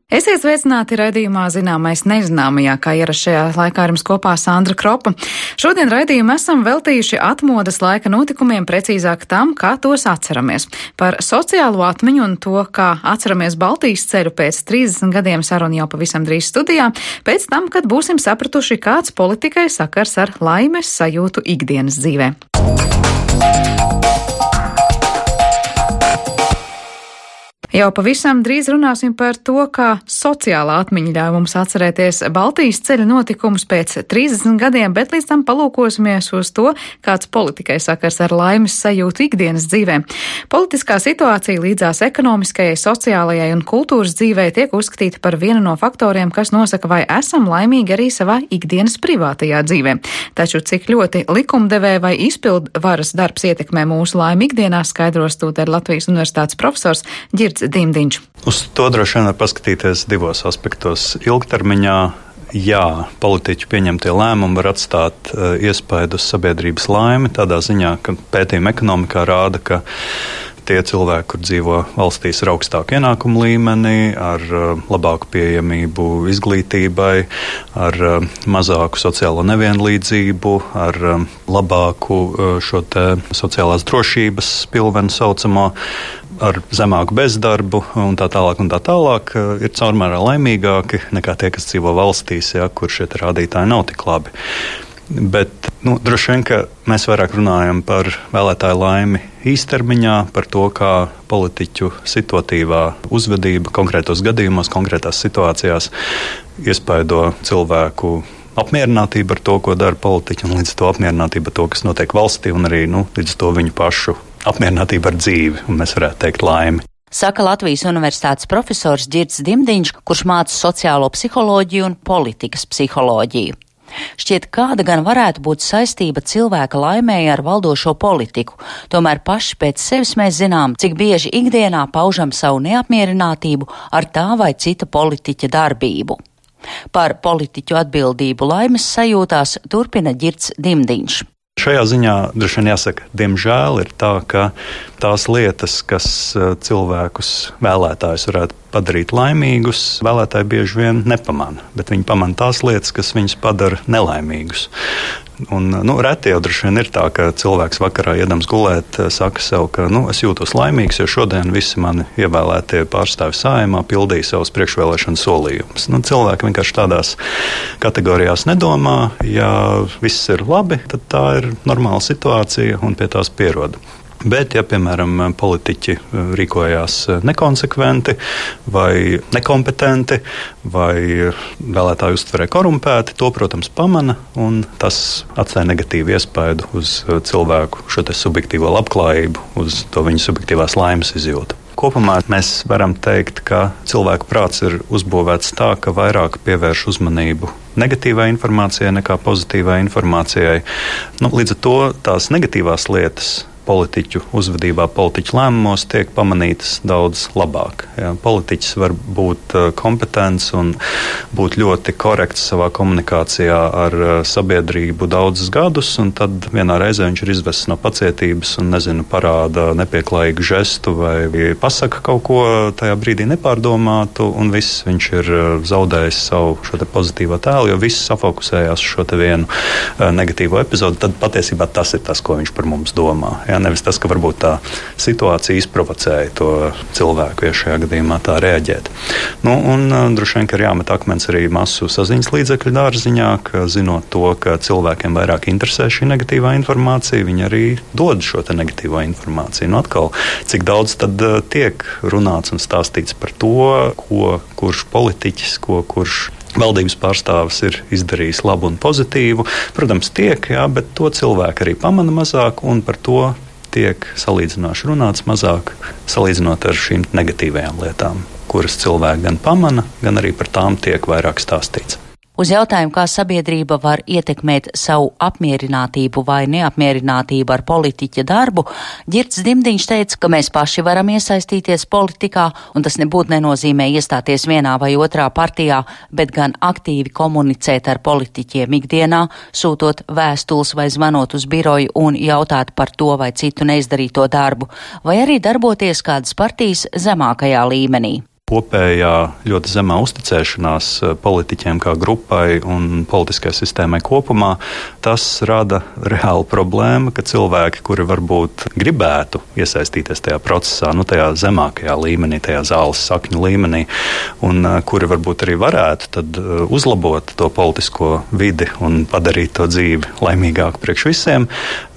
Esiet sveicināti raidījumā Zināmais nezināmajā, kā ierasts šajā laikā ar jums kopā Sandra Kropa. Šodien raidījumu esam veltījuši atmodas laika notikumiem, precīzāk tam, kā tos atceramies. Par sociālo atmiņu un to, kā atceramies Baltijas ceļu pēc 30 gadiem sarunu jau pavisam drīz studijā, pēc tam, kad būsim sapratuši, kāds politikai sakars ar laimes sajūtu ikdienas dzīvē. Jau pavisam drīz runāsim par to, kā sociālā atmiņa ļauj mums atcerēties Baltijas ceļa notikumus pēc 30 gadiem, bet līdz tam palūkosimies uz to, kāds politikai sakars ar laimes sajūtu ikdienas dzīvē. Politiskā situācija līdzās ekonomiskajai, sociālajai un kultūras dzīvē tiek uzskatīta par vienu no faktoriem, kas nosaka, vai esam laimīgi arī savā ikdienas privātajā dzīvē. Taču cik ļoti likumdevēja vai izpildu varas darbs ietekmē mūsu laimi ikdienā, skaidros tūdaļ Latvijas Universitātes profesors Ģirds Dimdiņš. Uz to droši vien var paskatīties divos aspektos. Ilgtermiņā, jā, politiķu pieņemtie lēmumi var atstāt iespaidu uz sabiedrības laimi, tādā ziņā, ka pētījumi ekonomikā rāda, ka tie cilvēki, kur dzīvo valstīs ar augstāku ienākumu līmeni, ar labāku pieejamību izglītībai, ar mazāku sociālo nevienlīdzību, ar labāku šo te sociālās drošības pilvenu saucamo, ar zemāku bezdarbu un tā tālāk, ir caurmērā laimīgāki nekā tie, kas dzīvo valstīs, kur šie rādītāji nav tik labi. Bet droši vien, ka mēs vairāk runājam par vēlētāju laimi īstermiņā, par to, kā politiķu situatīvā uzvedība konkrētos gadījumos, konkrētās situācijās iespaido cilvēku apmierinātību ar to, ko dara politiķi, un līdz to apmierinātību ar to, kas notiek valstī, un arī līdz to viņu pašu apmierinātība ar dzīvi, un mēs varētu teikt laimi. Saka Latvijas Universitātes profesors Ģirds Dimdiņš, kurš māca sociālo psiholoģiju un politikas psiholoģiju. Šķiet, kāda gan varētu būt saistība cilvēka laimēji ar valdošo politiku, tomēr paši pēc sevis mēs zinām, cik bieži ikdienā paužam savu neapmierinātību ar tā vai cita politiķa darbību. Par politiķu atbildību laimes sajūtās turpina Ģirds Dimdiņš. Šajā ziņā droši vien jāsaka, diemžēl ir tā, ka tās lietas, kas cilvēkus, vēlētājus varētu padarīt laimīgus, vēlētāji bieži vien nepamana, bet viņi pamana tās lietas, kas viņus padara nelaimīgus. Un, reti jau droši vien ir tā, ka cilvēks vakarā iedams gulēt, saka sev, ka es jūtos laimīgs, jo šodien visi mani ievēlētie pārstāvji Saeimā pildīja savus priekšvēlēšanu solījumus. Cilvēki vienkārši tādās kategorijās nedomā. Ja viss ir labi, tad tā ir normāla situācija un pie tās pieroda. Bet, ja, piemēram, politiķi rīkojās nekonsekventi vai nekompetenti vai vēlētāju uztverē korumpēti, to, protams, pamana, un tas atstāja negatīvu iespaidu uz cilvēku šo te subjektīvo labklājību, uz to viņa subjektīvās laimes izjūtu. Kopumā mēs varam teikt, ka cilvēku prāts ir uzbūvēts tā, ka vairāk pievērš uzmanību negatīvai informācijai nekā pozitīvai informācijai. Līdz ar to tās negatīvās lietas politiķu uzvedībā, politiķu lēmumos tiek pamanītas daudz labāk. Politiķis var būt kompetents un būt ļoti korekts savā komunikācijā ar sabiedrību daudzus gadus, un tad vienā reizē viņš ir izvests no pacietības un, parāda nepieklājīgu žestu vai pasaka kaut ko tajā brīdī nepārdomātu, un viss viņš ir zaudējis savu šo te pozitīvo tēlu, jo viss safokusējās uz šo te vienu negatīvo epizodu. Tad patiesībā tas ir tas, ko viņš par mums domā. Nevis tas, ka varbūt tā situācija izprovocēja to cilvēku, ja šajā gadījumā tā reaģēt. Droši vien, ka ir jāmet akmens arī masu saziņas līdzekļu dārziņā, ka zinot to, ka cilvēkiem vairāk interesē šī negatīvā informācija, viņi arī dod šo te negatīvo informāciju. Atkal, cik daudz tad tiek runāts un stāstīts par to, kurš politiķis, kurš valdības pārstāvis ir izdarījis labu un pozitīvu. Protams, tiek, bet to cilvēki arī pamana mazāk, un par to tiek salīdzinoši runāts mazāk, salīdzinot ar šīm negatīvajām lietām, kuras cilvēki gan pamana, gan arī par tām tiek vairāk stāstīts. Uz jautājumu, kā sabiedrība var ietekmēt savu apmierinātību vai neapmierinātību ar politiķa darbu, Ģirds Dimdiņš teica, ka mēs paši varam iesaistīties politikā, un tas nebūtu nenozīmē iestāties vienā vai otrā partijā, bet gan aktīvi komunicēt ar politiķiem ikdienā, sūtot vēstules vai zvanot uz biroju un jautāt par to vai citu neizdarīto darbu, vai arī darboties kādas partijas zemākajā līmenī. kopējā ļoti zemā uzticēšanās politiķiem kā grupai un politiskai sistēmai kopumā, tas rada reālu problēmu, ka cilvēki, kuri varbūt gribētu iesaistīties tajā procesā, tajā zemākajā līmenī, tajā zāles sakņu līmenī, un kuri varbūt arī varētu tad uzlabot to politisko vidi un padarīt to dzīvi laimīgāku priekš visiem,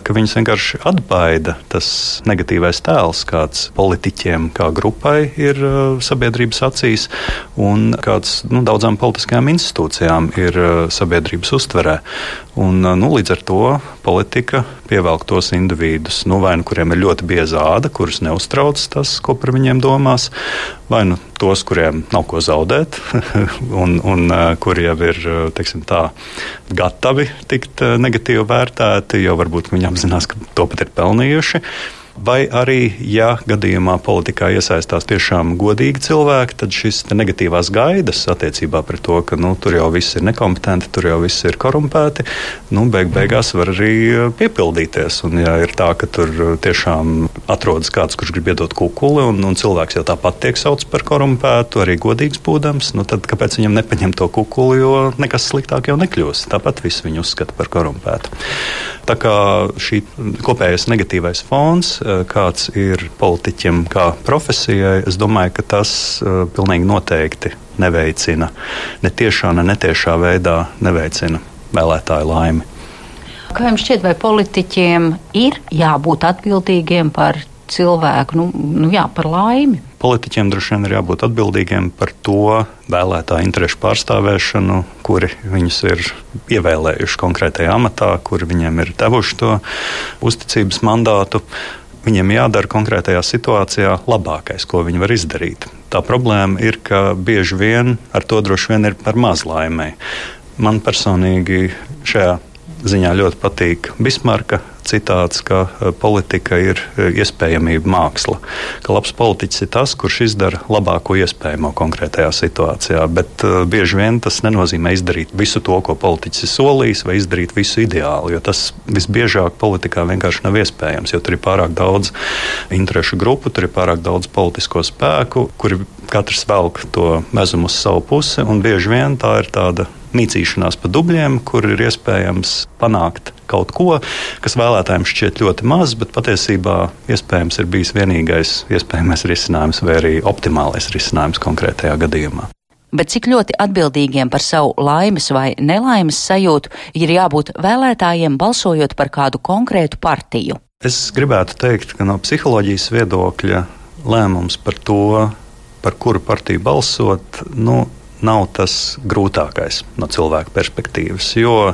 ka viņus vienkārši atbaida tas negatīvais tēls, kāds politiķiem kā grupai ir sabiedrības acīs un kāds daudzām politiskajām institūcijām ir sabiedrības uztverē. Un, līdz ar to politika pievelk tos individus, vai kuriem ir ļoti bieza āda, kurus neuztrauc tas, ko par viņiem domās, vai tos, kuriem nav ko zaudēt un kuri jau ir, teiksim tā, gatavi tikt negatīvi vērtēti, jo varbūt viņi apzinās, ka to pat ir pelnījuši. Vai arī, ja gadījumā politikā iesaistās tiešām godīgi cilvēki, tad šis negatīvās gaidas attiecībā pret to, ka tur jau viss ir nekompetenti, tur jau viss ir korumpēti, beigās var arī piepildīties. Un ja ir tā, ka tur tiešām atrodas kāds, kurš grib iedot kukuli, un cilvēks jau tāpat tiek sauc par korumpētu, arī godīgs būdams, tad kāpēc viņam nepaņem to kukuli, jo nekas sliktāk jau nekļūs. Tāpat visu viņu uzskata par korumpētu. Tā kā šī kopējais negatīvais fons, kāds ir politiķiem kā profesijai, es domāju, ka tas pilnīgi noteikti neveicina, ne tiešā, ne netiešā veidā neveicina vēlētāju laimi. Kā jums šķiet, vai politiķiem ir jābūt atbildīgiem par cilvēku, par laimi? Politiķiem droši vien ir jābūt atbildīgiem par to vēlētāju interešu pārstāvēšanu, kuri viņus ir ievēlējuši konkrētajā amatā, kuri viņiem ir devuši to uzticības mandātu. Viņiem jādara konkrētajā situācijā labākais, ko viņi var izdarīt. Tā problēma ir, ka bieži vien ar to droši vien ir par maz laimei. Man personīgi šajā ziņā ļoti patīk Bismarka citāts, ka politika ir iespējamība māksla. Ka labs politiķis ir tas, kurš izdara labāko iespējamo konkrētajā situācijā, bet bieži vien tas nenozīmē izdarīt visu to, ko politiķis ir solījis, vai izdarīt visu ideāli, jo tas visbiežāk politikā vienkārši nav iespējams, jo tur ir pārāk daudz interešu grupu, tur ir pārāk daudz politisko spēku, kuri katrs velk to mezumu uz savu pusi, un bieži vien tā ir tāda mīcīšanās pa dubļiem, kur ir iespējams panākt kaut ko, kas vēlētājiem šķiet ļoti maz, bet patiesībā iespējams ir bijis vienīgais iespējamais risinājums vai arī optimālais risinājums konkrētajā gadījumā. Bet cik ļoti atbildīgiem par savu laimes vai nelaimes sajūtu ir jābūt vēlētājiem balsojot par kādu konkrētu partiju? Es gribētu teikt, ka no psiholoģijas viedokļa lēmums par to, par kuru partiju balsot, nav tas grūtākais no cilvēka perspektīvas, jo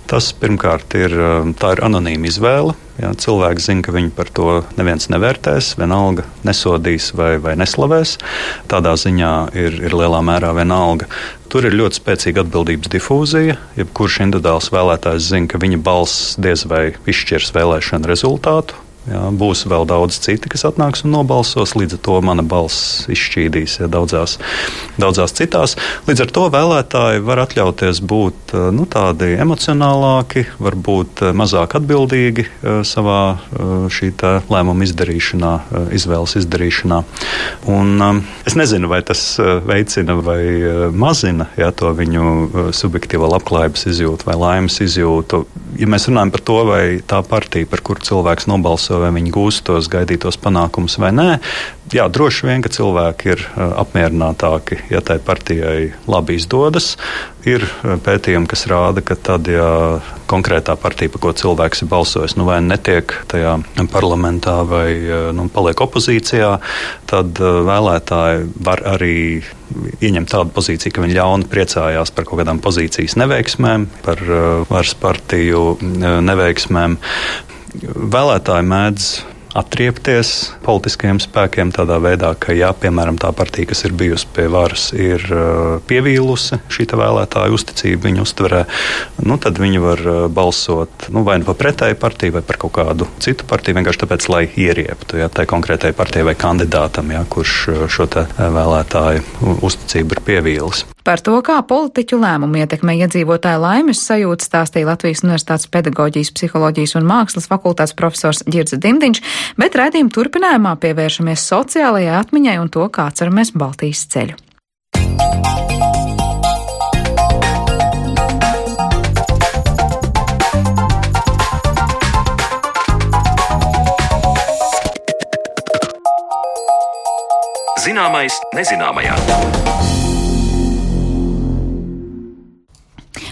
tas pirmkārt ir anonīma izvēle. Ja, cilvēks zina, ka viņu par to neviens nevērtēs, vienalga nesodīs vai neslavēs. Tādā ziņā ir lielā mērā vienalga. Tur ir ļoti spēcīga atbildības difūzija. Jebkurš individuāls vēlētājs zina, ka viņa balss diez vai izšķirs vēlēšanu rezultātu. Jā, būs vēl daudz citi, kas atnāks un nobalsos, līdz ar to mana balss izšķīdīs daudzās citās. Līdz ar to vēlētāji var atļauties būt tādi emocionālāki, varbūt mazāk atbildīgi savā šī lēmuma izdarīšanā, izvēles izdarīšanā. Un es nezinu, vai tas veicina vai mazina to viņu subjektīvo labklājības izjūtu vai laimes izjūtu. Ja mēs runājam par to, vai tā partija, par kuru cilvēks nobalso, vai viņi gūst tos gaidītos panākumus vai nē. Jā, droši vien, ka cilvēki ir apmierinātāki, ja tai partijai labi izdodas. Ir pētījumi, kas rāda, ka tad, ja konkrētā partija, par ko cilvēks ir balsojis, vai netiek tajā parlamentā vai paliek opozīcijā, tad vēlētāji var arī ieņemt tādu pozīciju, ka viņi ļauni priecājās par kaut kādām pozīcijas neveiksmēm, par varas partiju neveiksmēm. Vēlētāji mēdz atriepties politiskajiem spēkiem tādā veidā, ka, ja, piemēram, tā partija, kas ir bijusi pie varas, ir pievīlusi šī vēlētāju uzticību viņu uztverē, tad viņi var balsot vai par pretēju partiju vai par kaut kādu citu partiju, vienkārši tāpēc, lai ierieptu tai konkrētai partijai vai kandidātam, kurš šo vēlētāju uzticību ir pievīlis. Par to, kā politiķu lēmumu ietekmē iedzīvotāju laimes sajūtu, stāstīja Latvijas Universitātes pedagoģijas, psiholoģijas un mākslas fakultātes profesors Ģirds Dimdiņš, bet raidījuma turpinājumā pievēršamies sociālajai atmiņai un to, kā atceramies Baltijas ceļu. Zināmais nezināmajā.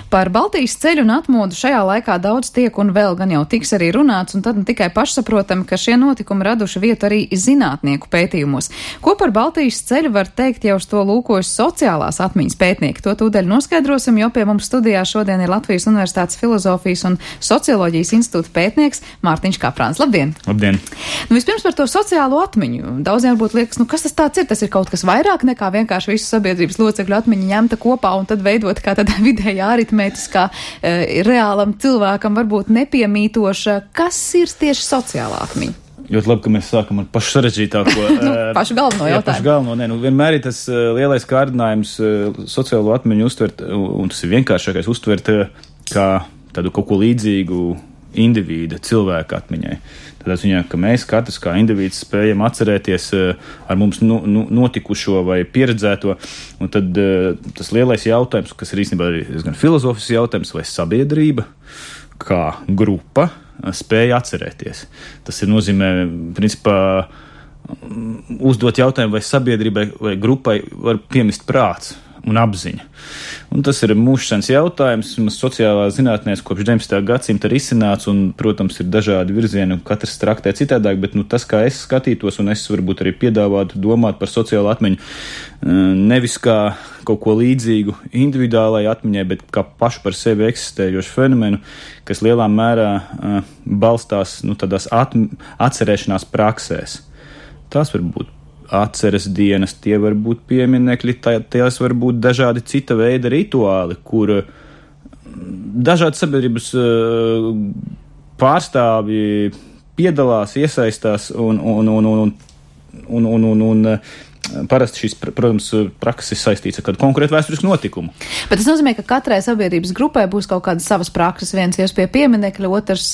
Par Baltijas ceļu un atmodu šajā laikā daudz tiek un vēl gan jau tiks arī runāts, un tad tikai pašsaprotami, ka šie notikumi raduši vietu arī zinātnieku pētījumos. Ko par Baltijas ceļu var teikt, ja uz to lūkojas sociālās atmiņas pētnieki? To tūdaļ noskaidrosim, jo pie mums studijā šodien ir Latvijas Universitātes filozofijas un socioloģijas institūta pētnieks Mārtiņš Kaprāns. Labdien! Labdien! Vispirms par to sociālo atmiņu. Daudziem varbūt liekas, kas tas tāds ir? Tas ir kaut kas vairāk nekā vienkārši visu sabiedrības locekļu atmiņa ņemta kopā un tad veidot kā tāda vidējā aritmētiskā, reālam cilvēkam varbūt nepiemītoša. Kas ir tieši sociālā atmiņa? Ļoti labi, ka mēs sākam ar pašu sarežģītāko. Pašu galveno jautājumu. Pašu galveno, vienmēr ir tas lielais kārdinājums sociālo atmiņu uztvert, un tas ir vienkāršākais uztvert kā tādu kaut ko līdzīgu indivīda, cilvēka atmiņai. Tādā ziņā, ka mēs katrs kā indivīds spējam atcerēties ar mums notikušo vai pieredzēto, un tad tas lielais jautājums, kas ir īstenībā arī diezgan filozofisks jautājums, vai sabiedrība kā grupa spēja atcerēties. Tas ir nozīmē, principā, uzdot jautājumu, vai sabiedrībai vai grupai var piemist prāts un apziņa. Un tas ir mūžsens jautājums, sociālā zinātnēs kopš 19. gadsimta ir izcināts, un, protams, ir dažādi virzieni, un katrs traktē citādāk, bet tas, kā es skatītos, un es varbūt arī piedāvātu domāt par sociālo atmiņu, nevis kā kaut ko līdzīgu individuālai atmiņai, bet kā pašu par sevi eksistējošu fenomenu, kas lielā mērā balstās tādās atcerēšanās praksēs. Tās var būt atceres dienas, tie var būt pieminekļi, tās var būt dažādi cita veida rituāli, kur dažādi sabiedrības pārstāvji piedalās, iesaistās un parasti šīs, protams, prakses saistīts ar kādu konkrētu vēsturisku notikumu. Bet tas nozīmē, ka katrai sabiedrības grupai būs kaut kādas savas prakses. Viens ies pie pieminekļa, otrs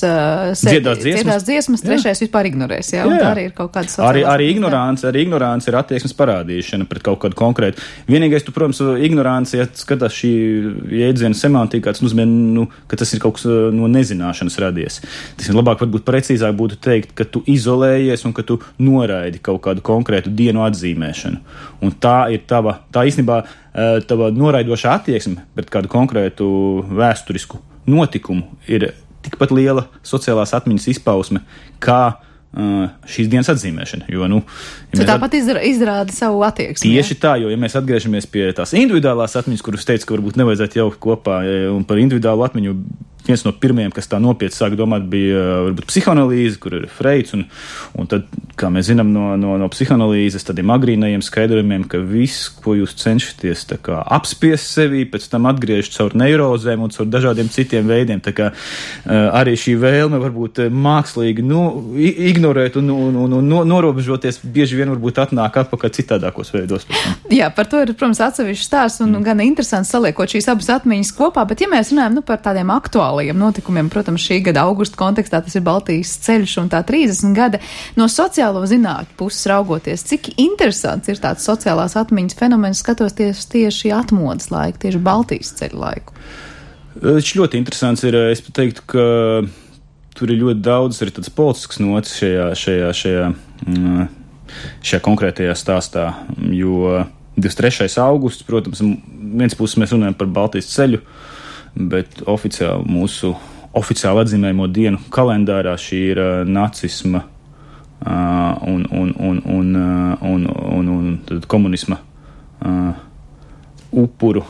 dziedās dziesmas, trešais vispār ignorēs. Jā? Un tā arī ir kaut kāda sociālā. Arī ignorance ir attieksmes parādīšana pret kaut kādu konkrētu. Vienīgais, protams, ignorance, ja skatās šī jēdziena semantika, tas nozīmē, ka tas ir kaut kas no nezināšanas radies. Tas ir labāk, varbūt precīzāk būtu teikt, ka tu izolējies un ka tu noraidi kaut kādu konkrētu dienu atzīmēšanu. Un tā ir īstenībā tava noraidošā attieksme pret kādu konkrētu vēsturisku notikumu ir tikpat liela sociālās atmiņas izpausme kā šīs dienas atzīmēšana. Jo, tāpat izrāda savu attieksmi. Tieši tā, jo, ja mēs atgriežamies pie tās individuālās atmiņas, kuras teica, ka varbūt nevajadzētu jaukt kopā, un par individuālu atmiņu viens no pirmajiem, kas tā nopietni sāka domāt, bija varbūt psihoanalīze, kur ir Freids, un tad, kā mēs zinām no psihoanalīzes, tādiem agrīnajiem skaidrojumiem, ka viss, ko jūs cenšaties tā kā apspiest sevī, pēc tam atgriežat caur neirozēm un caur dažādiem citiem veidiem, tā kā arī šī vēlme varbūt mākslīgi ignorēt un norobežoties bieži vien varbūt atnāk atpakaļ citādākos veidos. Jā, par to ir, protams, atsevišķs stāsts un gan interesants saliekot šīs abas atmiņas kopā, bet ja mēs runājam par tādiem aktuāliem notikumiem, protams, šī gada augusta kontekstā tas ir Baltijas ceļš un tā 30 gada no sociālo zinātņu puses raugoties, cik interesants ir tāds sociālās atmiņas fenomens skatoties tieši atmodas laiku, tieši Baltijas ceļu laiku. Viņš ļoti interesants ir, es teiktu, ka tur ir ļoti daudz arī tāds politisks nots šajā konkrētajā stāstā, jo 23. augusts, protams, viens puses mēs runājam par Baltijas ceļu, bet mūsu oficiāli atzīmējumu dienu kalendārā šī ir nacisma un komunisma upuru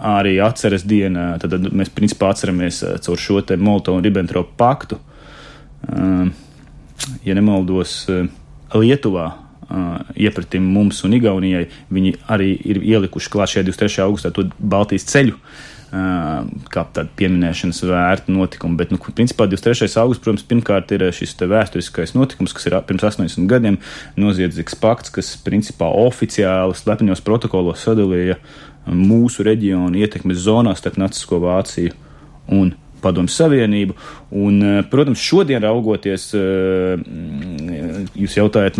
arī atceres diena. Tad mēs principā atceramies caur šo te Molotovu-Ribbentropa paktu. Ja nemaldos, Lietuvā iepratim mums un Igaunijai, viņi arī ir ielikuši klāt šajā 23. augustā to Baltijas ceļu, kā tāda pieminēšanas vērta notikuma, bet, principā 23. augusts, protams, pirmkārt ir šis te vēsturiskais notikums, kas ir pirms 80 gadiem noziedzīgs pakts, kas, principā, oficiāli slepeņos protokolos sadalīja mūsu reģionu ietekmes zonā starp nacisko Vāciju un Padomju Savienību. Un, protams, šodien raugoties, jūs jautājat,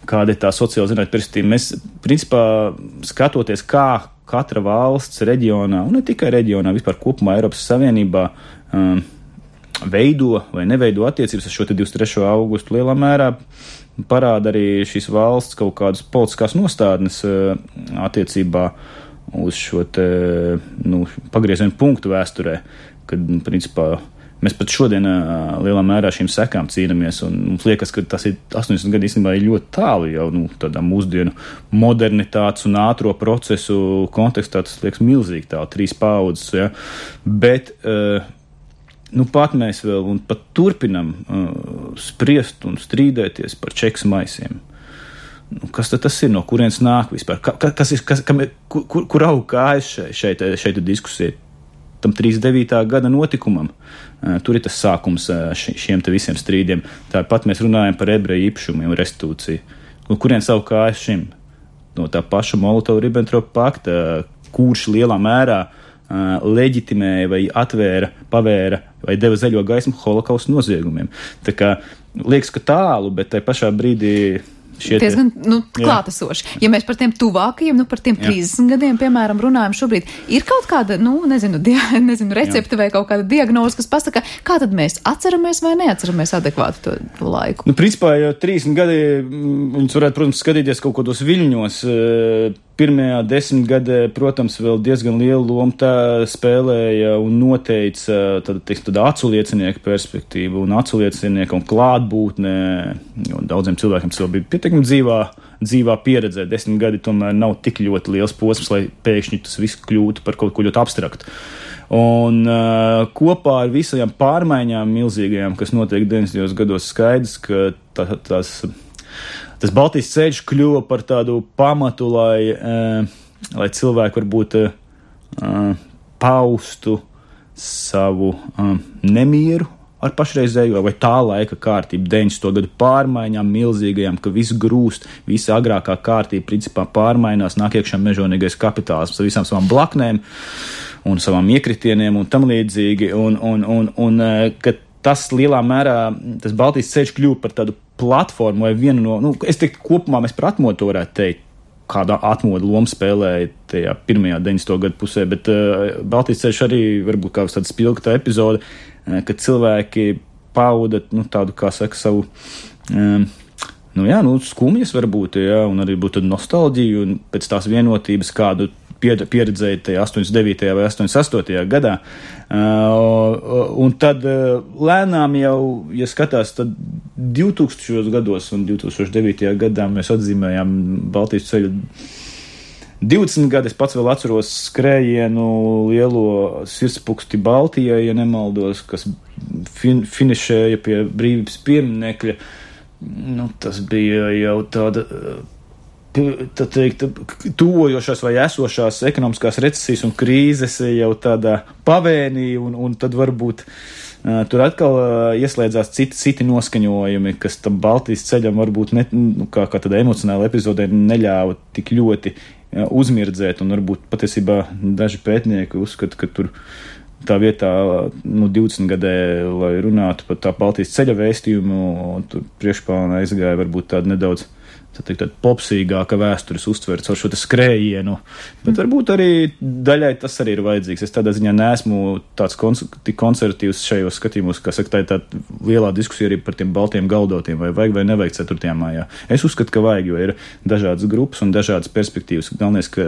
kāda ir tā sociāla zinātņu perspektīva. Mēs, principā, skatoties, kā katra valsts reģionā, un ne tikai reģionā, vispār kopumā Eiropas Savienībā veido vai neveido attiecības ar šo 23. augustu, lielā mērā parāda arī šīs valsts kaut kādas politiskās nostādnes attiecībā uz šo pagriezienu punktu vēsturē, kad, principā, mēs pat šodien lielā mērā šīm sekām cīnamies, un mums liekas, ka tas ir 80 gadi īstenībā ir ļoti tālu jau tādā mūsdienu modernitātes un ātro procesu kontekstā, tas liekas milzīgi tālu, 3 paudzes, ja? Bet pat mēs vēl un pat turpinam spriest un strīdēties par čekas maisiem. Kas tad tas ir, no kurienes nāk vispār? Kur aug kājas šeit diskusija? Tam 39. gada notikumam. Tur ir tas sākums šiem te visiem strīdiem. Tāpat mēs runājam par ebreju īpašumu un restitūciju. Kurien savu kājas šim? No tā paša Molotova-Ribbentropa pakta, kurš lielā mērā leģitimēja vai pavēra vai deva zaļo gaismu holokausta noziegumiem. Tā kā liekas, ka tālu, bet tai pašā brīdī diezgan klātesoši. Ja mēs par tiem tuvākajiem, par tiem 30 gadiem, piemēram, runājam šobrīd, ir kaut kāda, recepte vai kaut kāda diagnoze, kas pasaka, kā tad mēs atceramies vai neatceramies adekvāti to laiku? Principā jau 30 gadi, viņus varētu, protams, skatīties kaut kādos viļņos. Pirmajā 10 gadē, protams, vēl diezgan lielu lomu tā spēlēja un noteica tāda aculiecinieku perspektīva un aculiecinieku un klātbūtne. Daudziem cilvēkiem tas vēl bija pietiekami dzīvā pieredzē. 10 gadi tomēr nav tik ļoti liels posms, lai pēkšņi tas viss kļūtu par kaut ko ļoti abstraktu. Un kopā ar visajām pārmaiņām milzīgajām, kas notiek 90. gados, skaidrs, ka tas Baltijas ceļš kļuva par tādu pamatu, lai cilvēki varbūt paustu savu nemieru ar pašreizējo vai tā laika kārtību, 90. gadu pārmaiņām milzīgajām, ka viss grūst, visa agrākā kārtība principā pārmainās, nāk iekšā mežonīgais kapitālisms ar visām savām blaknēm un savām iekritieniem un tam līdzīgi, un ka tas lielā mērā, tas Baltijas ceļš kļuva par tādu platformu vai vienu no, es teiktu, kopumā mēs par atmodu varētu teikt, kādā atmoda loma spēlēja tajā pirmajā 90. gadu pusē, bet Baltijas ceļš arī varbūt kā tāda spilgta epizode, kad cilvēki pauda, tādu, kā saka, savu, skumjas varbūt, un arī būtu nostalģiju, un pēc tās vienotības kādu pieredzēja tajā 89. vai 88. gadā. Un tad lēnām jau, ja skatās, tad 2000. gados un 2009. gadā mēs atzīmējām Baltijas ceļu 20 gadi. Es pats vēl atceros skrējienu lielo Sirspuksti Baltijai, ja nemaldos, kas finišēja pie brīvības pieminekļa. Tas bija jau tāda tuvojošās vai esošās ekonomiskās recesijas un krīzes jau tādā pavēnī, un tad varbūt tur atkal ieslēdzās citi noskaņojumi, kas tam Baltijas ceļam varbūt kā tāda emocionāla epizodē neļāva tik ļoti uzmirdzēt, un varbūt patiesībā daži pētnieki uzskata, ka tur tā vietā 20 gadē, lai runātu par tā Baltijas ceļa vēstījumu, tur priekšplānā aizgāja varbūt tāda nedaudz tāda popsīgāka vēstures uztverts ar šo skrējienu, bet varbūt arī daļai tas arī ir vajadzīgs. Es tādā ziņā neesmu tāds tik konservatīvs šajos skatījumos, kā saka, tā ir tāda lielā diskusija arī par tiem baltiem galdotiem, vai vajag vai nevajag 4. mājā. Es uzskatu, ka vajag, jo ir dažādas grupas un dažādas perspektīvas. Galvenais, ka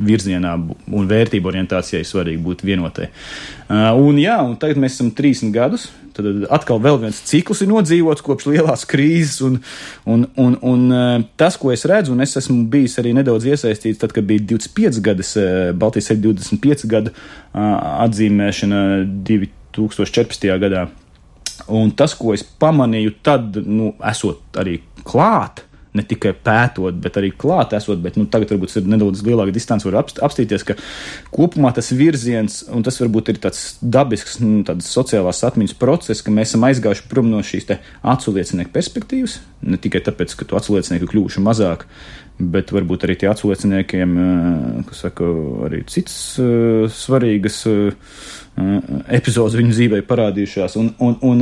virzienā un vērtību orientācijai svarīgi būt vienotai. Un tagad mēs esam 30 gadus, tad atkal vēl viens cikls ir nodzīvots kopš lielās krīzes, un tas, ko es redzu, un es esmu bijis arī nedaudz iesaistīts, tad, kad bija 25 gadas, Baltijas ceļa 25 gada atzīmēšana 2014. gadā, un tas, ko es pamanīju tad, esot arī klāt, ne tikai pētot, bet arī klāt esot, bet tagad varbūt ir nedaudz lielāka distance, var apstīties, ka kopumā tas virziens, un tas varbūt ir tāds dabisks, tāds sociālās atmiņas process, ka mēs esam aizgājuši prom no šīs te aculiecinieku perspektīvas, ne tikai tāpēc, ka tu aculiecinieku kļuvuši mazāk, bet varbūt arī tie atslieciniekiem, kas saka, arī citas svarīgas epizodes viņu dzīvē parādījušās. Un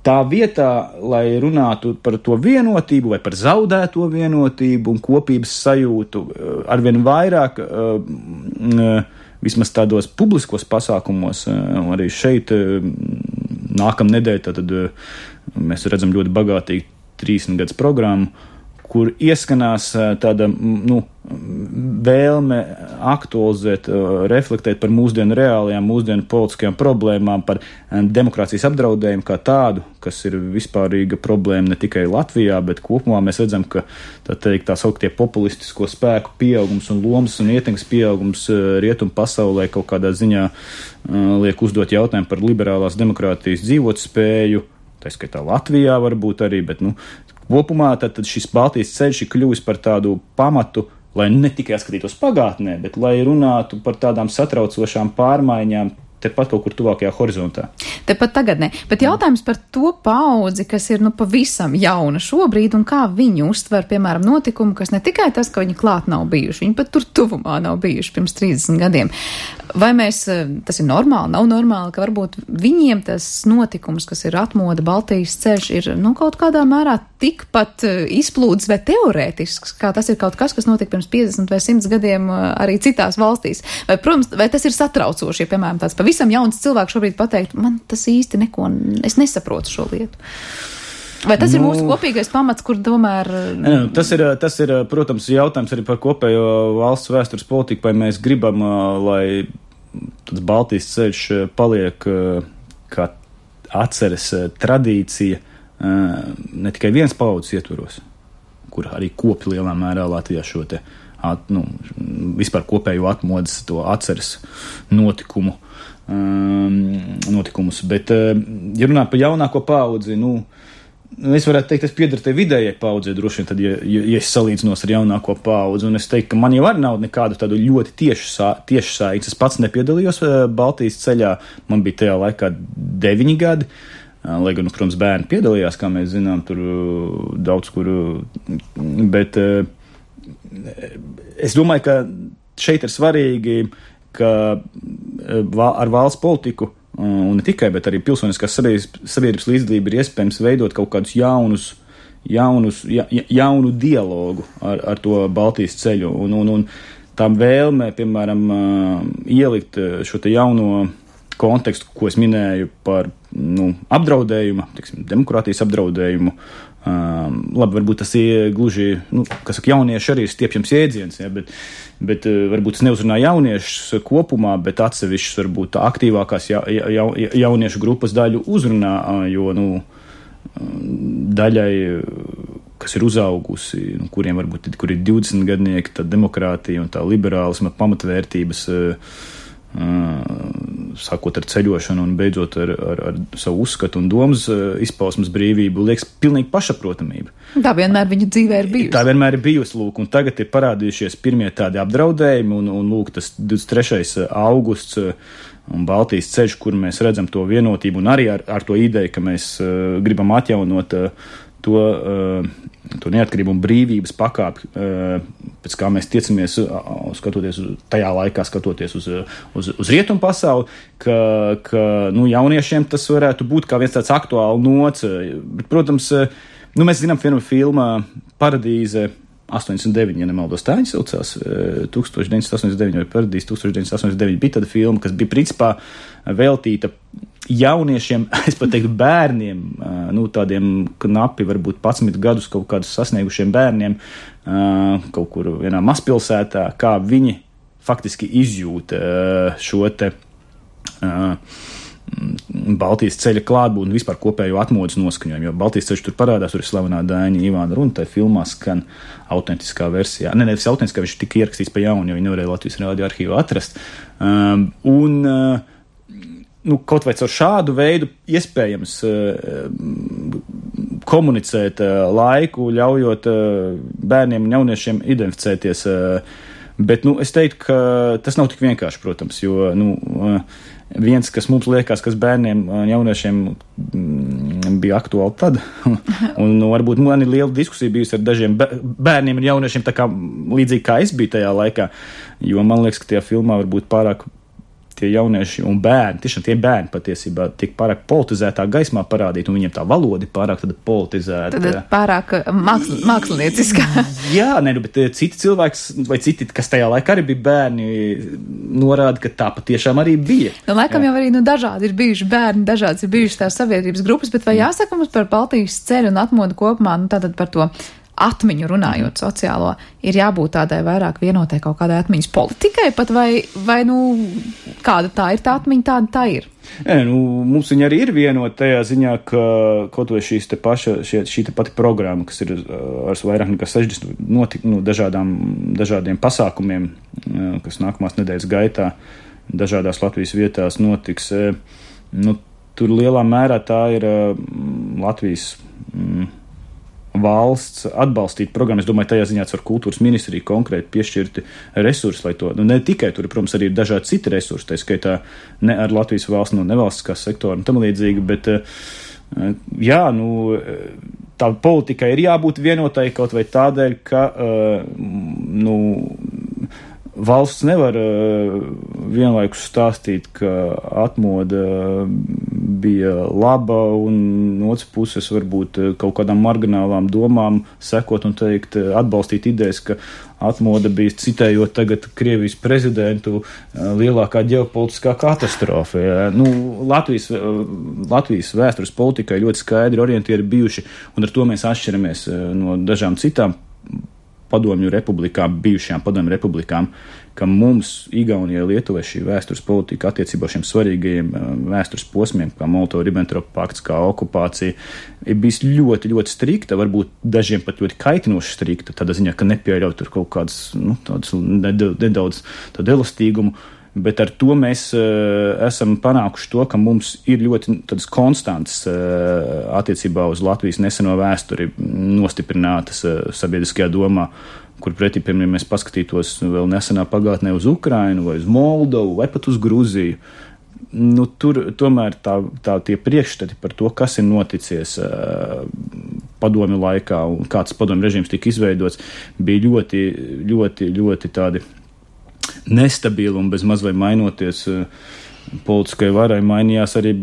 tā vietā, lai runātu par to vienotību vai par zaudēto vienotību un kopības sajūtu, arvien vairāk, vismaz tādos publiskos pasākumos, arī šeit nākamnedēļ, tad mēs redzam ļoti bagātīgu 30 gadus programmu, kur ieskanās tāda, vēlme aktualizēt, reflektēt par mūsdienu reālajām, mūsdienu politiskajām problēmām, par demokrātijas apdraudējumu kā tādu, kas ir vispārīga problēma ne tikai Latvijā, bet kopumā mēs redzam, ka tā sauktie populistisko spēku pieaugums un lomas un ietekmes pieaugums rietumu pasaulē kaut kādā ziņā liek uzdot jautājumu par liberālās demokrātijas dzīvotspēju, tā skaitā Latvijā varbūt arī, bet, kopumā tad šis Baltijas ceļš ir kļuvis par tādu pamatu, lai ne tikai skatītos pagātnē, bet lai runātu par tādām satraucošām pārmaiņām tepat kaut kur tuvākajā horizontā. Tepat tagadnē. Bet jautājums par to paudzi, kas ir pavisam jauna šobrīd un kā viņi uztver, piemēram, notikumu, kas ne tikai tas, ka viņi klāt nav bijuši, viņi pat tur tuvumā nav bijuši pirms 30 gadiem. Vai tas ir normāli, nav normāli, ka varbūt viņiem tas notikums, kas ir atmoda Baltijas ceļš, ir kaut kādā mērā tikpat izplūdes vai teorētisks, kā tas ir kaut kas notika pirms 50 vai 100 gadiem arī citās valstīs. Vai, protams, vai tas ir satraucoši, ja, piemēram, tāds pavisam jauns cilvēks šobrīd pateikt, man tas īsti neko, es nesaprotu šo lietu. Vai tas ir mūsu kopīgais pamats, kur tomēr... Tas ir, protams, jautājums arī par kopējo valsts vēstures politiku, vai mēs gribam, lai tāds Baltijas ceļš paliek kā atceres tradīcija ne tikai viens paudzes ietvaros, kur arī kopi lielā mērā Latvijā šo te vispār kopējo atmodas to atceres notikumus, bet, ja runā par jaunāko paudzi, es varētu teikt, es piedaru tai vidējai paudzei droši vien, tad, ja es salīdzinos ar jaunāko paudzi, un es teiktu, ka man jau arī nav nekādu tādu ļoti tieši saiknes. Es pats nepiedalījos Baltijas ceļā, man bija tajā laikā 9 gadi, lai gan, protams, bērni piedalījās, kā mēs zinām, tur daudz kur, bet es domāju, ka šeit ir svarīgi, ka ar valsts politiku, un ne tikai, bet arī pilsoniskās sabiedrības līdzdalība ir iespējams veidot kaut kādus jaunu dialogu ar to Baltijas ceļu, un tā vēlme, piemēram, ielikt šo te jauno kontekstu, ko es minēju par apdraudējumu, demokrātijas apdraudējumu. Labi, varbūt tas ir gluži, jaunieši arī ir stiepjams jēdziens, ja, bet varbūt tas neuzrunā jauniešus kopumā, bet atsevišķus varbūt aktīvākās jauniešu grupas daļu uzrunā, jo, daļai, kas ir uzaugusi, kuriem varbūt, kur ir 20 gadnieki, tā demokrātija un tā liberālisma pamatvērtības, sākot ar ceļošanu un beidzot ar savu uzskatu un domas izpausmes brīvību, liekas pilnīgi pašaprotamība. Tā vienmēr viņa dzīvē ir bijusi. Tā vienmēr ir bijusi, un tagad ir parādījušies pirmie tādi apdraudējumi, un tas 23. augusts un Baltijas ceļš, kur mēs redzam to vienotību, un arī ar to ideju, ka mēs gribam atjaunot to neatkarību un brīvības pakāpi, pēc kā mēs tiecamies, skatoties tajā laikā, skatoties uz rietumu pasauli, ka jauniešiem tas varētu būt kā viens tāds aktuāli nots. Bet, protams, mēs zinām filma Paradīze 89, ja nemaldos, tā viņa saucās, 1989 vai Paradīze 1989 bija tāda filma, kas bija principā veltīta jauniešiem, es pat teiktu bērniem, tādiem knapi, varbūt 11 gadus kaut kādus sasniegušiem bērniem, kaut kur vienā mazpilsētā, kā viņi faktiski izjūt šo te Baltijas ceļa klātbūtni un vispār kopējo atmodas noskaņojumu, jo Baltijas ceļš tur parādās, tur ir slavenā Daiņa Ivāna runa, tai filmā skan autentiskā versijā. Nevis autentiskā, viņš tika ierakstīts pa jaunu, jo viņi nevarēja Latvijas radio arhīvu atrast. Kaut vai caur šādu veidu iespējams komunicēt laiku, ļaujot bērniem un jauniešiem identificēties Bet, es teiktu, ka tas nav tik vienkārši, protams, jo, viens, kas mums liekas, kas bērniem un jauniešiem bija aktuāli tad, un varbūt man ir liela diskusija bijusi ar dažiem bērniem un jauniešiem, tā kā līdzīgi kā es biju tajā laikā, jo man liekas, ka tajā filmā varbūt pārāk tie jaunieši un bērni, tiešām tie bērni patiesībā tiek pārāk politizētā gaismā parādīti, un viņiem tā valoda ir pārāk tāda politizēta. Tad pārāk mākslinieciskā. Jā, bet citi cilvēki, vai citi, kas tajā laikā arī bija bērni, norāda, ka tā patiešām arī bija. Laikam jau arī dažādi ir bijuši bērni, dažādas ir bijušas tās sabiedrības grupas, bet vai jāsaka mums par Baltijas ceļu un atmodu kopumā, tātad par to atmiņu runājot sociālo, ir jābūt tādai vairāk vienotai kaut kādai atmiņas politikai pat, vai kāda tā ir tā atmiņa, tāda tā ir? Mums viņa arī ir vienota tajā ziņā, ka kaut vai šī te pati programma, kas ir ar vairāk nekā 60 dažādiem pasākumiem, kas nākamās nedēļas gaitā dažādās Latvijas vietās notiks, tur lielā mērā tā ir Latvijas valsts atbalstīt programmu. Es domāju, tajā ziņā ar kultūras ministriju konkrēti piešķirti resursi, lai to, ne tikai tur, protams, arī ir dažādi citi resursi, tā skaitā ne ar Latvijas valsts, nevalstiskās sektora un tam līdzīgi, bet tā politika ir jābūt vienotai kaut vai tādēļ, ka, valsts nevar vienlaikus stāstīt, ka atmoda bija laba un no otras puses varbūt kaut kādām marginālām domām sekot un teikt, atbalstīt idejas, ka atmoda bija, citējot tagad Krievijas prezidentu, lielākā ģeopolitiskā katastrofa. Ja. Latvijas vēstures politikai ļoti skaidri orientieri bijuši, un ar to mēs atšķiramies no dažām citām padomju republikām, bijušajām padomju republikām, ka mums, Igaunijai, Lietuvai, šī vēstures politika attiecībā šiem svarīgajiem vēstures posmiem, kā Molotovu-Ribentropa pakts, kā okupācija, ir bijis ļoti, ļoti strikta, varbūt dažiem pat ļoti kaitinoši strikta, tādā ziņā, ka nepieļaut tur kaut kādas, tādas nedaudz tādu elastīgumu, bet ar to mēs esam panākuši to, ka mums ir ļoti tādas konstantas attiecībā uz Latvijas neseno vēsturi nostiprinātas sabiedriskajā domā, kur pretī, piemēram, mēs paskatītos vēl nesenā pagātnē uz Ukrainu vai uz Moldovu vai pat uz Gruziju. Tur tomēr tie priekšstati par to, kas ir noticies padomju laikā un kāds padomju režīms tika izveidots, bija ļoti, ļoti, ļoti tādi nestabili un bez maz vai mainoties politiskai varai mainījās arī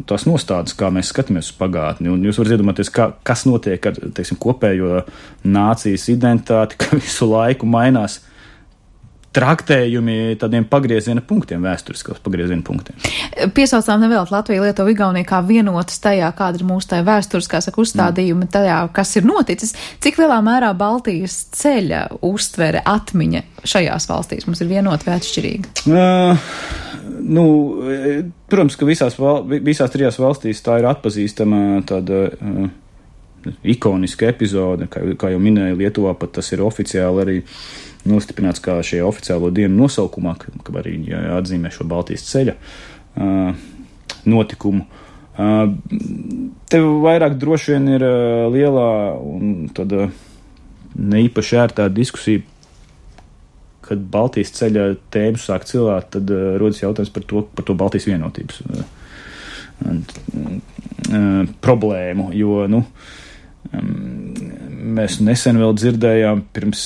tās nostādes, kā mēs skatāmies uz pagātni. Un jūs varat iedomāties, kas notiek ar, teiksim, kopējo nācijas identitāti, ka visu laiku mainās traktējumi tādiem pagrieziena punktiem, vēsturiskos pagrieziena punktiem. Piesaucām nevēl Latviju, Lietuvu, Igauniju kā vienotas tajā, kāda ir mūsu tajā vēsturiskā uzstādījuma, tajā, kas ir noticis. Cik lielā mērā Baltijas ceļa uztvere, atmiņa šajās valstīs mums ir vienota vai atšķirīga? Protams, ka visās trijās valstīs tā ir atpazīstama tāda ikoniska epizode, kā jau minēju, Lietuvā pat tas ir oficiāli arī nostiprināts kā šajā oficiālo dienu nosaukumā, ka arī atzīmē šo Baltijas ceļa notikumu. Te vairāk droši vien ir lielā un tāda neīpaši ērtā diskusija, kad Baltijas ceļa tēmu sāk cilāt, tad rodas jautājums par to Baltijas vienotības problēmu, jo, mēs nesen vēl dzirdējām pirms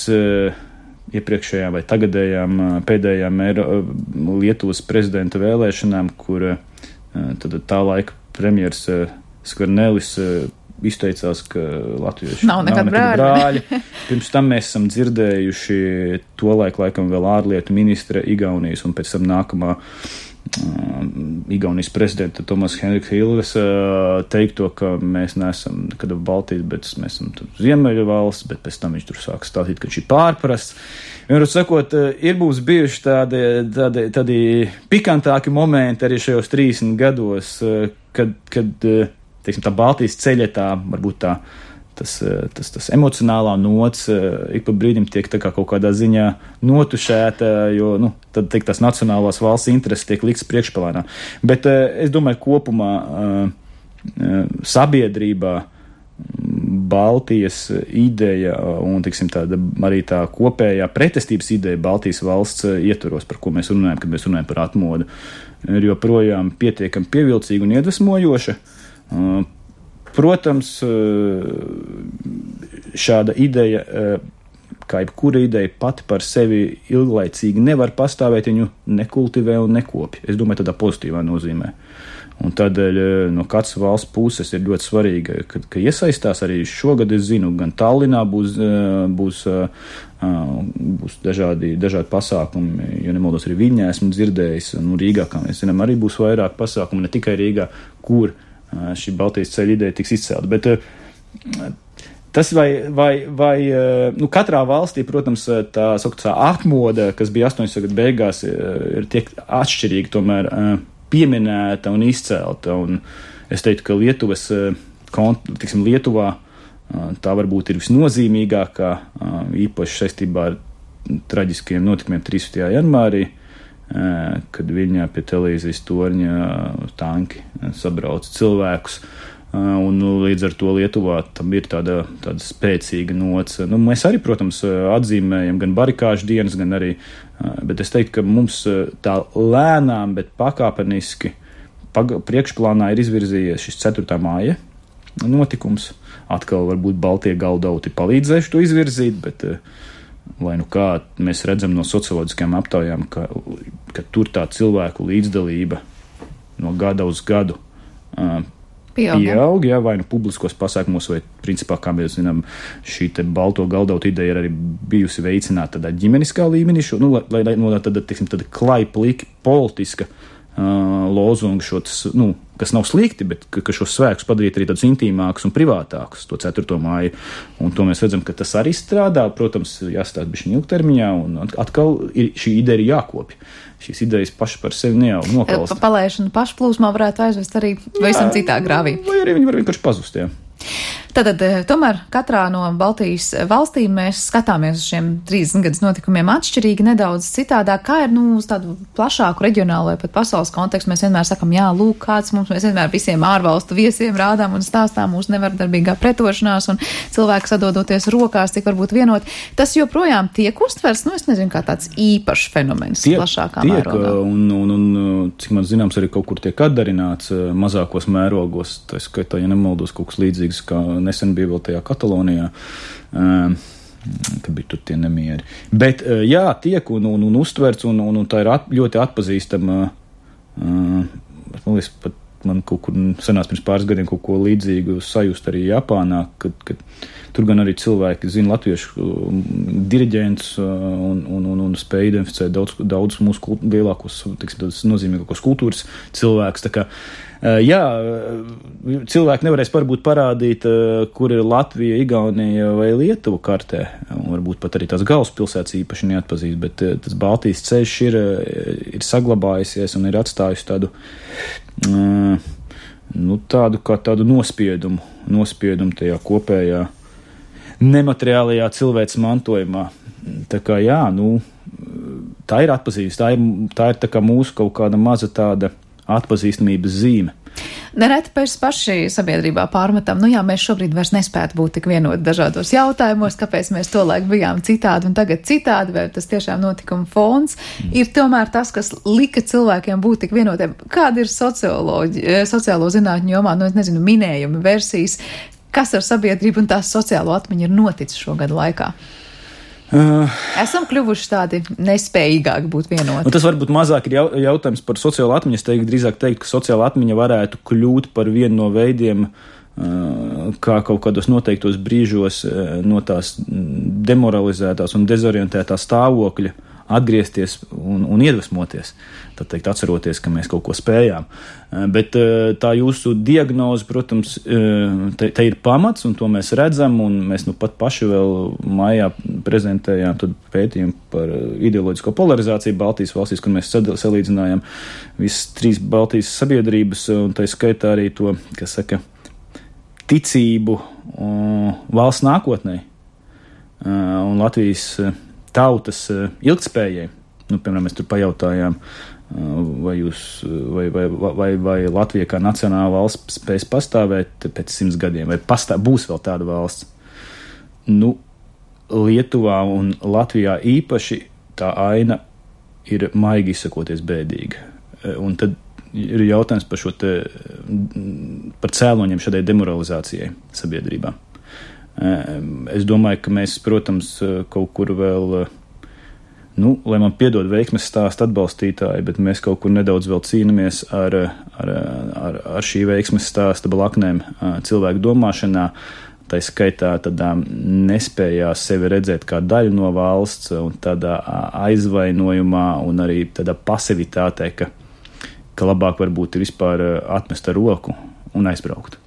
iepriekšējām vai tagadējām pēdējām Lietuvas prezidenta vēlēšanām, kur tā laika premjers Skvernelis izteicās, ka latvieši nav nekad brāļi. Pirms tam mēs esam dzirdējuši tolaik laikam vēl ārlietu ministra Igaunijas un pēc tam nākamā Igaunijas prezidenta Tomas Henriks Ilves teikto, ka mēs neesam nekad Baltijas, bet mēs esam ziemeļu valsts, bet pēc tam viņš tur sāk stāstīt, ka viņš ir pārprasts. Vienmēr sakot, ir mums bijuši tādi pikantāki momenti arī šajos 30 gados, kad teiksim, tā Baltijas ceļa varbūt tas emocionālā nots ik pa brīdim tiek tā kā kaut kādā ziņā notušēta, jo, tad tiek tās nacionālās valsts intereses tiek likts priekšplānā. Bet es domāju, kopumā sabiedrībā Baltijas ideja un, tiksim, arī tā kopējā pretestības ideja Baltijas valsts ietvaros, par ko mēs runājam, kad mēs runājam par atmodu, ir joprojām pietiekami pievilcīga un iedvesmojoša. Protams, šāda ideja, kā jebkura ideja pati par sevi ilglaicīgi nevar pastāvēt, ja viņu nekultivē un nekopja. Es domāju, tādā pozitīvā nozīmē. Un tādēļ no katras valsts puses ir ļoti svarīgi, ka iesaistās arī šogad, es zinu, gan Tallinā būs dažādi pasākumi, ja nemaldos arī Viļņā esmu dzirdējis, un Rīgā, kā mēs zinām, arī būs vairāk pasākumu, ne tikai Rīgā, kur šī Baltijas ceļa ideja tiks izcelta. Bet tas nu, katrā valstī, protams, tā atmoda, kas bija 80. gadu beigās, ir tiek atšķirīga tomēr pieminēta un izcelta, un es teiktu, ka Lietuvā tā varbūt ir visnozīmīgākā, īpaši saistībā ar traģiskiem notikumiem 13. janvārī, kad Viļņā pie televīzijas torņa tanki sabrauca cilvēkus, un līdz ar to Lietuvā tam ir tāda spēcīga nots. Nu, mēs arī, protams, atzīmējam gan barikāžu dienas, gan arī, bet es teiktu, ka mums tā lēnām, bet pakāpeniski priekšplānā ir izvirzījies šis 4. māja notikums. Atkal varbūt Baltie galdauti palīdzējuši to izvirzīt, bet lai nu kā mēs redzam no socioloģiskajām aptaujām, ka tur tā cilvēku līdzdalība no gada uz gadu pieaug, jā, vai nu publiskos pasākumos, vai principā, kā mēs zinām, šī te balto galdautu ideja ir arī bijusi veicināta tādā ģimeniskā līmenī, lai tāda klaiplīgi politiska lozungu kas nav slikti, bet ka šos svēkus padarīt arī tādus intīmākus un privātākus, to 4. māju. Un to mēs redzam, ka tas arī strādā, protams, jāstāsta bišķiņ ilgtermiņā, un atkal šī ideja ir jākopja. Šīs idejas paši par sevi neaug nokalst. Palaišana pašplūsmā varētu aizvest arī visam citā grāvī. Vai arī viņi var vienkārši pazust, jā. Tātad, tomēr katrā no Baltijas valstīm mēs skatāmies uz šiem 30 gadus notikumiem atšķirīgi, nedaudz citādāk. Kā ir, uz tādu plašāku reģionālo vai pat pasaules kontekstu? Mēs vienmēr sakam, jā, lūk, kāds mēs vienmēr visiem ārvalstu viesiem rādām un stāstām mūsu nevardarbīgā pretošanās un cilvēku sadodoties rokās, cik varbūt vienot. Tas joprojām tiek uztverts, es nezinu, kā tāds īpašs fenomens plašākā mērogā. Un cik man zināms, arī kaut kur tiek atdarināts mazākos mērogos, tā skaitā, ja nemaldos, kaut kas līdzīgs, kā nesen bija vēl tajā Katalonijā, kad bija tur tie nemieri. Bet, jā, tiek un uztverts, un tā ir ļoti atpazīstama, man kaut kur senās pirms pāris gadiem kaut ko līdzīgu sajust arī Japānā, kad tur gan arī cilvēki zina latviešu diriģentus un spēja identificēt daudz mūsu lielākos, nozīmīgākos kultūras cilvēkus. Tā kā, jā, cilvēki nevarēs varbūt parādīt, kur ir Latvija, Igaunija vai Lietuva kartē, un varbūt pat arī tās galvaspilsētas īpaši neatpazīst, bet tas Baltijas ceļš ir saglabājusies un ir atstājusi tādu tādu nospiedumu tajā kopējā nemateriālajā cilvēces mantojumā. Tā kā jā, tā ir atpazīst, tā ir tā kā mūsu kaut kāda maza tāda atpazīstamības zīme. Nereti pēc paši sabiedrībā pārmetam, jā, mēs šobrīd vairs nespētu būt tik vienoti dažādos jautājumos, kāpēc mēs tolaik bijām citādi un tagad citādi, vai tas tiešām notikuma fons ir tomēr tas, kas lika cilvēkiem būt tik vienotiem. Kāda ir sociālo zinātņu jomā, es nezinu, minējumi, versijas, kas ar sabiedrību un tās sociālo atmiņu ir noticis šo gadu laikā? Esam kļuvuši tādi nespējīgāki būt vienoti. Tas varbūt mazāk ir jautājums par sociālo atmiņu. Es drīzāk teiktu, ka sociāla atmiņa varētu kļūt par vienu no veidiem, kā kaut kādos noteiktos brīžos no tās demoralizētās un dezorientētā stāvokļa atgriezties un iedvesmoties, tad teikt, atceroties, ka mēs kaut ko spējām. Bet tā jūsu diagnoze, protams, te ir pamats, un to mēs redzam, un mēs pat paši vēl maijā prezentējām pētījumu par ideoloģisko polarizāciju Baltijas valstīs, kur mēs salīdzinājām visas 3 Baltijas sabiedrības, un tā skaitā arī to, kas saka, ticību valsts nākotnē un Latvijas tautas ilgtspējai. Piemēram, mēs tur pajautājām vai Latvija kā nacionāla valsts spēs pastāvēt pēc 100 gadiem, vai būs vēl tāda valsts. Lietuvā un Latvijā īpaši tā aina ir maigi izsakoties bēdīga. Un tad ir jautājums par cēloņiem šādai demoralizācijai sabiedrībā. Es domāju, ka mēs, protams, kaut kur vēl, lai man piedod veiksmes stāstu atbalstītāji, bet mēs kaut kur nedaudz vēl cīnamies ar šī veiksmes stāsta blaknēm cilvēku domāšanā. Tā skaitā tādā nespējā sevi redzēt kā daļu no valsts un tādā aizvainojumā un arī tādā pasivitātē, ka labāk varbūt ir vispār atmest ar roku un aizbraukt.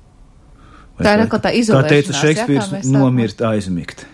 Tā ir atkal tā izolēšanās. Kā teica Šekspīrs, nomirt aizmigt.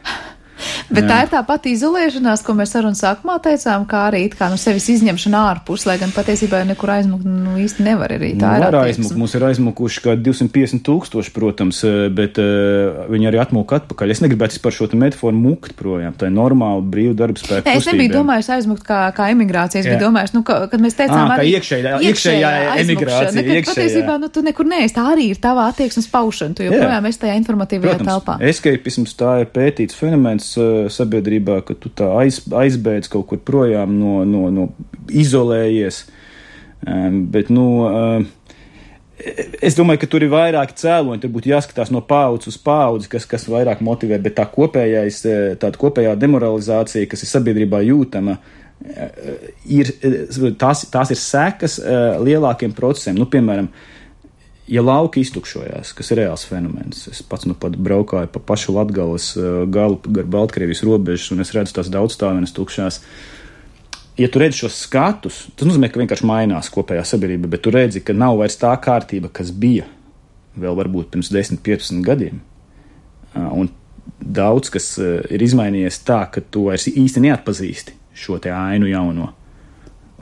Bet tā ir tā pati izolēšanās, ko mēs sarunas sākumā teicām, kā arī sevis izņemšana ārpus, lai gan patiesībā nekur aizmukt īsti nevar arī. Tā ir attieksme. Mums ir aizmukuši kā 250,000, protams, bet viņi arī atmuka atpakaļ. Es negribētu par šo metaforu mukt projām. Tā ir normāla brīva darbspēka kustība. Es nebiju domājis aizmukt kā emigrācija. Es biju domājis, kad mēs teicām arī iekšējā emigrācija. Patiesībā, tu nekur neesi. Tā arī ir tava attieksmes paušana. Tu joprojām esi tajā informatīvajā telpā. Escapisms, tā ir pētīts fenomens sabiedrībā, ka tu tā aizbēdz kaut kur projām no izolējies, bet, es domāju, ka tur ir vairāki cēloņi, tur būtu jāskatās no paaudzes uz paudzi, kas vairāk motivē, bet tāda kopējā demoralizācija, kas ir sabiedrībā jūtama, tās ir sekas lielākiem procesiem, piemēram, ja lauki iztukšojās, kas ir reāls fenomens, es pats pat braukāju pa pašu Latgales galu gar Baltkrievijas robežas, un es redzu tās daudzstāvenes tukšās. Ja tu redzi šos skatus, tas nozīmē, ka vienkārši mainās kopējā sabiedrība, bet tu redzi, ka nav vairs tā kārtība, kas bija vēl varbūt pirms 10-15 gadiem. Un daudz, kas ir izmainījies tā, ka tu vairs īsti neatpazīsti šo te ainu jauno,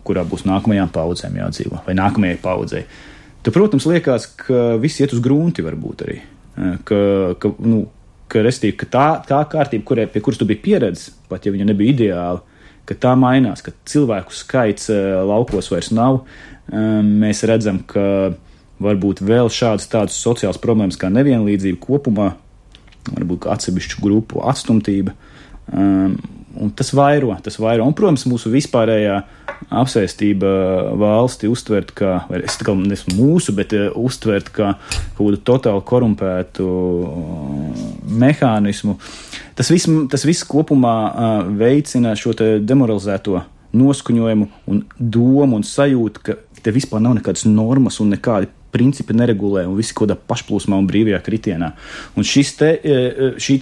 kurā būs nākamajām paudzēm jādzīvo, vai nākamajai paudzei. Tad, protams, liekas, ka viss iet uz grunti varbūt arī, ka tā kārtība, pie kuras tu biji pieredzis, pat ja viņa nebija ideāla, ka tā mainās, ka cilvēku skaits laukos vairs nav. Mēs redzam, ka varbūt vēl tādas sociālas problēmas kā nevienlīdzība kopumā, varbūt atsevišķu grupu atstumtība, un tas vairo. Un, protams, mūsu vispārējā apsēstība valsti uztvert kā, es nesmu mūsu, bet uztvert kā kaut kādu totāli korumpētu mehānismu. Tas viss kopumā veicina šo te demoralizēto noskuņojumu un domu un sajūtu, ka te vispār nav nekādas normas un nekādi principi neregulē un visi kodā pašplūsmā un brīvajā kritienā. Un šī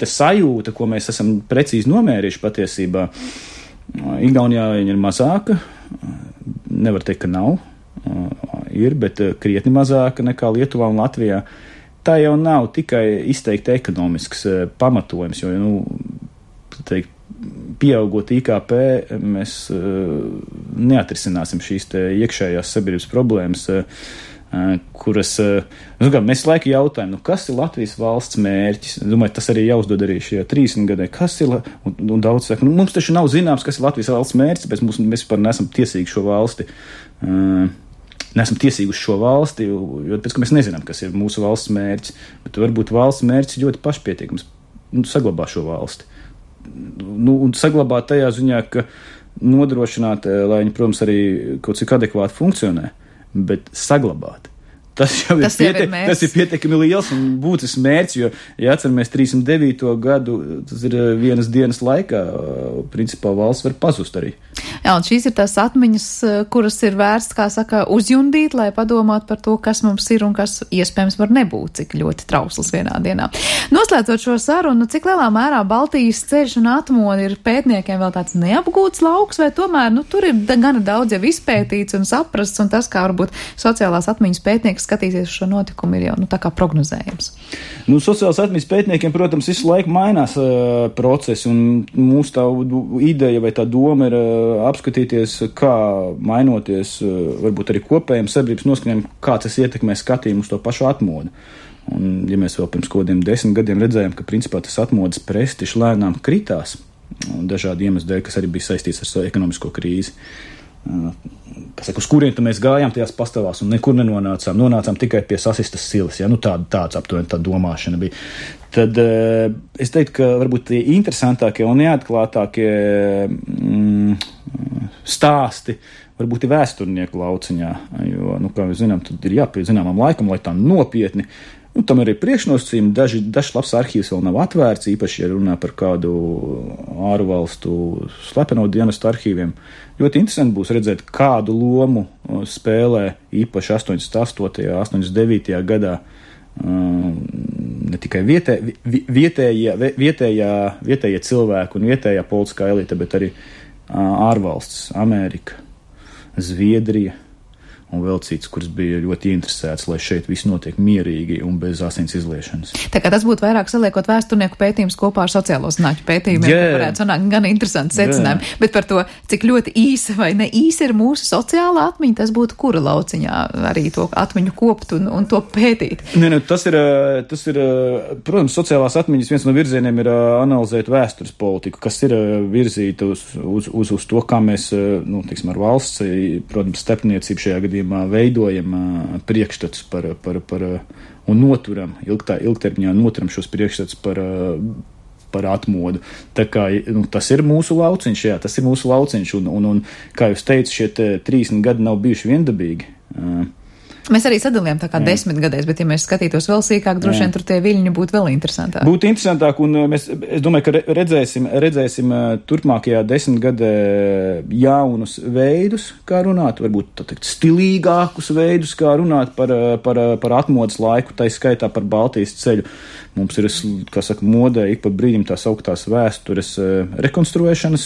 te sajūta, ko mēs esam precīzi nomērījuši patiesībā, Igaunijā viņa ir mazāka, nevar teikt, ka nav, ir, bet krietni mazāka nekā Lietuvā un Latvijā. Tā jau nav tikai izteikti ekonomisks pamatojums, jo, pieaugot IKP, mēs neatrisināsim šīs te iekšējās sabiedrības problēmas, kuras, mēs laiku jautājam, kas ir Latvijas valsts mērķis? Domāju, tas arī jāuzdod arī šajā 30 gadē. Kas ir, un daudz saka, mums taču nav zināms, kas ir Latvijas valsts mērķis, bet mēs vispār nesam tiesīgi šo valsti, nesam tiesīgi uz šo valsti, jo pēc, ka mēs nezinām, kas ir mūsu valsts mērķis, bet varbūt valsts mērķis ļoti pašpietiekams, saglabā šo valsti. Un saglabāt tajā ziņā, ka nodrošināt, lai viņi, protams, arī kaut cik adekvāti funkcionē, bet saglabāt. Tas jau ir pietiekami liels un būtisks mērķis, jo, ja atceramies 309. gadu, tas ir vienas dienas laikā, principā valsts var pazust arī. Jā, un šīs ir tās atmiņas, kuras ir vērsts, kā saka, uzjundīt, lai padomātu par to, kas mums ir un kas iespējams var nebūt, cik ļoti trausls vienā dienā. Noslēdzot šo sarunu, cik lielā mērā Baltijas ceļš un atmoda ir pētniekiem vēl tāds neapgūts lauks, vai tomēr, tur ir gana daudz jau izpētīts un saprasts, un tas, kā varbūt sociālās atmiņas pētnieks skatīsies šo notikumu, ir jau, tā kā prognozējams. Sociālās atmiņas pētniekiem, protams, visu laiku mainās procesi, un mūsu tā ideja vai tā doma ir apskatīties, kā mainoties, varbūt arī kopējiem sabiedrības noskaņojumiem, kā tas ietekmē skatījumu uz to pašu atmodu. Un, ja mēs vēl pirms kodiem 10 gadiem redzējām, ka principā tas atmodas prestižs lēnām kritās, dažādi iemesli dēļ, kas arī bija saistīts ar ekonomisko krīzi, uz kuriem mēs gājām tajās pastāvās un nekur nenonācām. Nonācām tikai pie sasistas silas. Ja? Tāds aptuveni tā domāšana bija. Tad es teiktu, ka varbūt tie interesantākie un neatklātākie stāsti varbūt ir vēsturnieku lauciņā, jo, kā mēs zinām, tad ir jāpiet zināmam laikam, lai tā nopietni. Tam arī priekšnosacījumi, dažs labs arhīvs vēl nav atvērts, īpaši, ja runā par kādu ārvalstu slepeno dienestu arhīviem. Ļoti interesanti būs redzēt, kādu lomu spēlē īpaši 88. 89. gadā ne tikai vietējie cilvēki un vietējā politiskā elite, bet arī ārvalsts, Amerika, Zviedrija un vēl cits, kuras bija ļoti interesēts, lai šeit viss notiek mierīgi un bez asins izliešanas. Tā kā tas būtu vairāk saliekot vēsturnieku pētījums kopā ar sociālo zinātņu pētījumiem, varētu sanākt gan interesanti secinājumi. Bet par to, cik ļoti īsa vai ne īsa ir mūsu sociālā atmiņa, tas būtu kura lauciņā arī to atmiņu kopt un to pētīt? Tas ir, protams, sociālās atmiņas viens no virzieniem ir analizēt vēstures politiku, kas ir virzīta uz to, kā mēs, ar valsts, protams, starpniecību šajā gadījumā veidojam priekšstats par un noturam, ilgtermiņā noturam šos priekšstats par atmodu. Tā kā, tas ir mūsu lauciņš, tas ir mūsu lauciņš, un kā jūs teicu, šie 30 gadi nav bijuši viendabīgi. Mēs arī sadalījām tā kā 10 gadēs, bet ja mēs skatītos vēl sīkāk, droši vien tur tie viļņi būtu vēl interesantāk. Būtu interesantāk, un es domāju, ka redzēsim turpmākajā 10 gadē jaunus veidus, kā runāt, varbūt tā teikt stilīgākus veidus, kā runāt par atmodas laiku, tai skaitā par Baltijas ceļu. Mums ir, kā saka, modē ik pa brīdim tās augtās vēstures rekonstruēšanas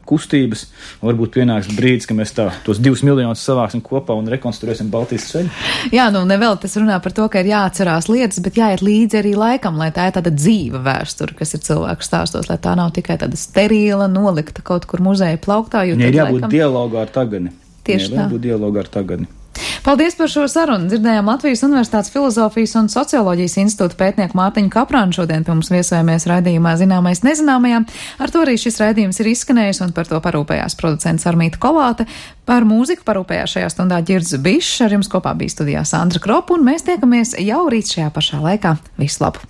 kustības. Varbūt pienāks brīdis, ka mēs tos 2 miljonus savāksim kopā un rekonstruēsim Baltijas ceļu. Jā, nevēl tas runā par to, ka ir jāatcerās lietas, bet jāiet līdzi arī laikam, lai tā ir tāda dzīva vēsture, kas ir cilvēku stāstos, lai tā nav tikai tāda sterīla, nolikta kaut kur muzeja plauktā. Ir jābūt dialogā ar tagadni. Tieši tā. Jābūt dialogā ar tagadni. Paldies par šo sarunu. Dzirdējām Latvijas Universitātes Filozofijas un Socioloģijas institūta pētnieku Mārtiņu Kaprānu. Šodien pie mums viesojamies raidījumā Zināmais nezināmajā. Ar to arī šis raidījums ir izskanējis un par to parūpējās producents Armīta Kolāte. Par mūziku parūpējās šajā stundā Ģirds Bišs. Ar jums kopā bija studijā Sandra Kropa un mēs tiekamies jau rīt šajā pašā laikā. Visu labu!